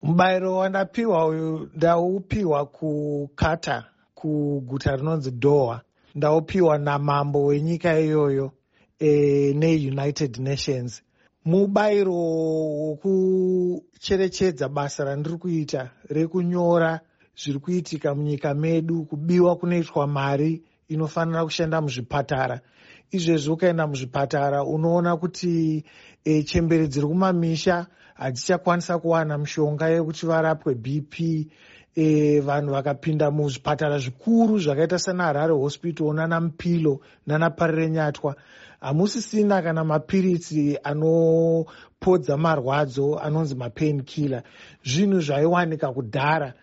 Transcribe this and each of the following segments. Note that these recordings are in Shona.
Mubayiro wandapiwa uyu ndaupiwa kuQatar, kuguta rinonzi Doha. Ndaupiwa namambo wenyika iyoyo neUnited Nations. Mubayiro wokucherechedza basa randiri kuita rekunyora zviri kuitika munyika medu, kubiwa kunoitwa mari inofanira kushanda muzvipatara. Izvezvi ukaenda muzvipatara unoona kuti chembere dziri kumamisha hadzichakwanisa kuwana mishonga yekuti varapwe BP. Vanhu vakapinda muzvipatara zvikuru zvakaita sana Harare Hospital, nana Mpilo, nana Parirenyatwa, hamusisina kana mapiritsi anopodza marwadzo anonzi mapain killer. Zvinhu zvaiwanika kudhara,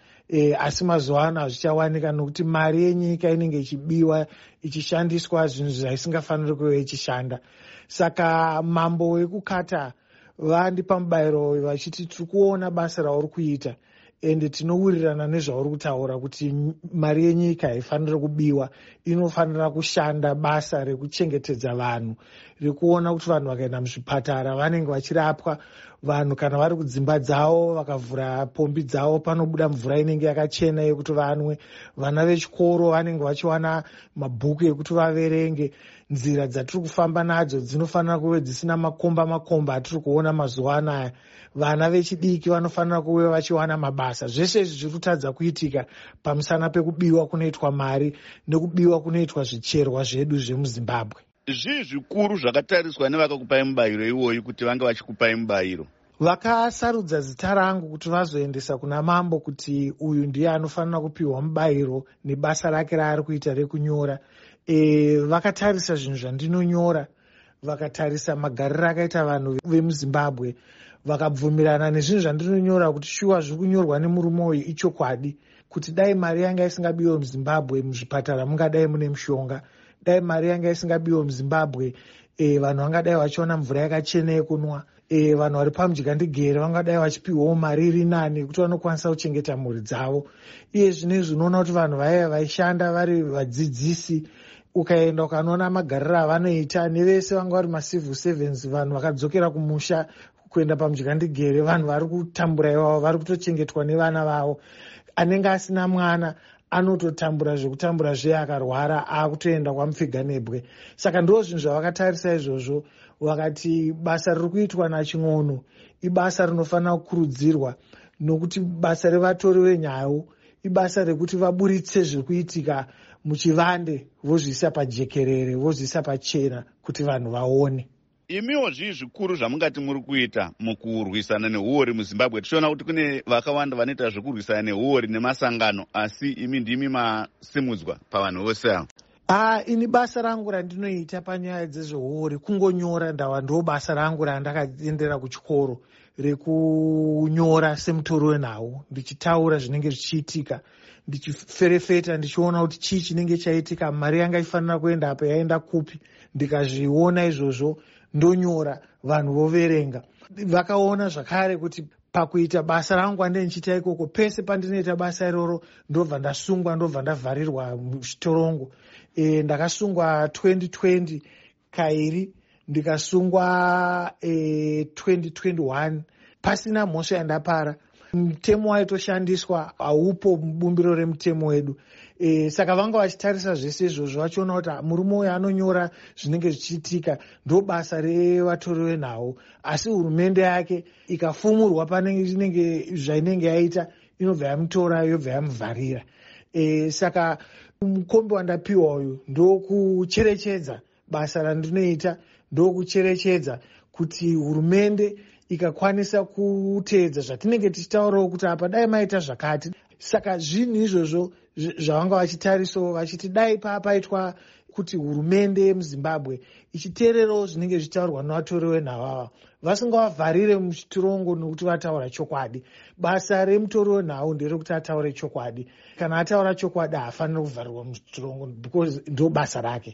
asi mazuva ano hazvichawanika nokuti mari yenyika inenge ichibiwa, ichishandiswa zvinhu zvaisingafaniri kuve ichishanda. Saka mambo wekuQatar vandipa mubayiro vachiti tiri kuona basa rauri kuita, ende tinowirirana nezvauri kutaura kuti mari yenyika haifaniri kubiwa, inofanira kushanda basa rekuchengetedza vanhu, rekuona kuti vanhu vakaenda muzvipatara vanenge vachirapwa, vanhu kana vari kudzimba dzavo vakavhura pombi dzavo panobuda mvura inenge yakachena yekuti vanwe, vana vechikoro vanenge vachiwana mabhuku ekuti vaverenge. Nzira dzatiri kufamba nadzo dzinofanira kuve dzisina makomba makomba atiri kuona mazuva anaya. Vana vechidiki vanofanira kuve vachiwana mabasa. Zvese izvi zviri kutadza kuitika pamusana pekubiwa kunoitwa mari nekubiwa kunoitwa zvicherwa zvedu zvemuZimbabwe. Zvii zvikuru zvakatariswa nevakakupai mubayiro iwoyu kuti vange vachikupai mubayiro? Vakasarudza zita rangu kuti vazoendesa kuna mambo kuti uyu ndiye anofanira kupiwa mubayiro nebasa rake raari kuita rekunyora. Vakatarisa zvinhu zvandinonyora, vakatarisa magariro akaita vanhu vemuZimbabwe, vakabvumirana nezvinhu zvandinonyora kuti shuwa zviri kunyorwa nemurume uyu ichokwadi, kuti dai mari yanga isingabiwe muZimbabwe, muzvipatara mungadai mune mishonga, dai mari yanga isingabiwe muZimbabwe, vanhu vangadai vachiwana mvura yakachena yekunwa, vanhu vari pamudyandigere vangadai vachipiwawo mari iri nani yekuti vanokwanisa kuchengeta mhuri dzavo. Iye zvinezvi unoona kuti vanhu vaiva vaishanda vari vadzidzisi, ukaenda ukanoona magariro avanoita nevese vanga vari macivil servants, vanhu vakadzokera kumusha kuenda pamudyandigere, vanhu vari kutambura ivavo vari kutochengetwa nevana vavo. Anenge asina mwana anototambura zvekutambura zviye, akarwara akutoenda kwamupfiganebwe. Saka ndo zvinhu zvavakatarisa izvozvo, vakati basa riri kuitwa naChin'ono ibasa rinofanira kukurudzirwa, nokuti basa revatori venhau ibasa rekuti vaburitse zviri kuitika muchivande, vozviisa pajekerere, vozviisa pachena kuti vanhu vaone. Imiwo zvii zvikuru zvamungati muri kuita mukurwisana neuori muZimbabwe, tichiona kuti kune vakawanda vanoita zvekurwisana neuori nemasangano, asi imi ndimi masimudzwa pavanhu vose ava? Ini basa rangu randinoita panyaya dzezveuori kungonyora. Ndava ndo basa rangu randakaendera kuchikoro rekunyora semutori wenhau, ndichitaura zvinenge zvichiitika, ndichiferefeta, ndichiona kuti chii chinenge chaitika, mari yanga ifanira kuenda apa yaenda kupi. Ndikazviona izvozvo ndonyora, vanhu voverenga. Vakaona zvakare kuti pakuita basa rangu andee ndichiita ikoko, pese pandinoita basa iroro ndobva ndasungwa, ndobva ndavharirwa muchitorongo. Ndakasungwa 2020 kairi, ndikasungwa 2021 pasina mhosva yandapara. Mutemo waitoshandiswa haupo mubumbiro remutemo wedu. Saka vanga vachitarisa zvese izvozvo vachiona kuti murume uyu anonyora zvinenge zvichiitika, ndo basa revatori venhau, asi hurumende yake ikafumurwa pane inenge zvainenge yaita inobva yamutora, yobva yamuvharira. Saka mukombe wandapiwa uyu ndokucherechedza basa randinoita, ndokucherechedza kuti hurumende ikakwanisa kuteedza zvatinenge tichitaurawo kuti apa dai maita zvakati. Saka zvinhu izvozvo zvavanga vachitarisawo vachiti dai papaitwa kuti hurumende yemuZimbabwe ichiteererawo zvinenge zvichitaurwa nevatori venhau ava, vasingavavharire muchitirongo nokuti vataura chokwadi. Basa remutori wenhau nderekuti ataure chokwadi. Kana ataura chokwadi haafaniri kuvharirwa muchitirongo because ndo basa rake.